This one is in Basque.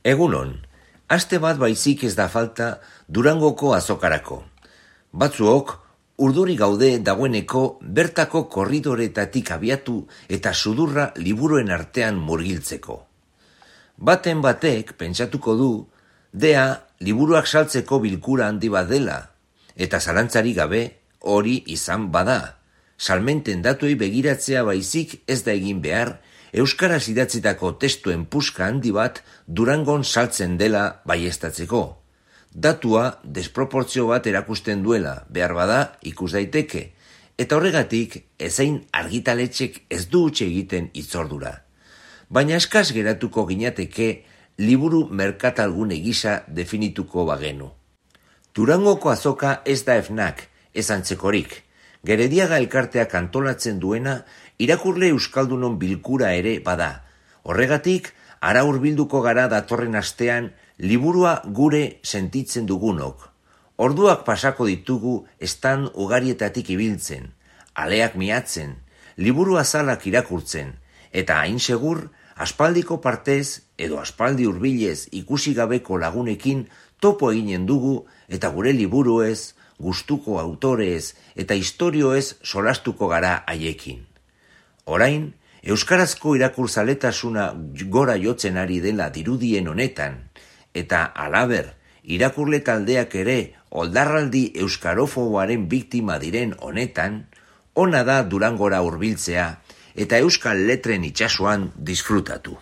Egunon, aste bat baizik ez da falta Durangoko azokarako. Batzuok, urduri gaude dagoeneko bertako korridoretatik abiatu eta sudurra liburuen artean murgiltzeko. Baten batek pentsatuko du, dea liburuak saltzeko bilkura handi bat dela, eta zalantzari gabe hori izan bada. Salmenten datuei begiratzea baizik ez da egin behar, euskaraz idatzitako testuen puska handi bat Durangon saltzen dela baieztatzeko. Datua desproportzio bat erakusten duela, behar bada ikus daiteke, eta horregatik ezein argitaletxek ez du huts egiten hitzordura. Baina eskas geratuko ginateke liburu merkatalgune gisa definituko bagenu. Durangoko azoka ez da FNAC, ez antzekorik. Gerediaga elkarteak antolatzen duena irakurle euskaldunon bilkura ere bada. Horregatik, ara hurbilduko gara datorren astean liburua gure sentitzen dugunok. Orduak pasako ditugu estan ugarietatik ibiltzen, aleak miatzen, liburu azalak irakurtzen, eta hain segur, aspaldiko partez edo aspaldi hurbilez ikusi gabeko lagunekin topo eginen dugu eta gure liburuez, gustuko autorez eta istorioez solastuko gara haiekin. Orain, euskarazko irakurzaletasuna gora jotzen ari dela dirudien honetan, eta halaber, irakurle taldeak ere oldarraldi euskarofoboaren biktima diren honetan, ona da Durangora hurbiltzea eta euskal letren itsasoan disfrutatu.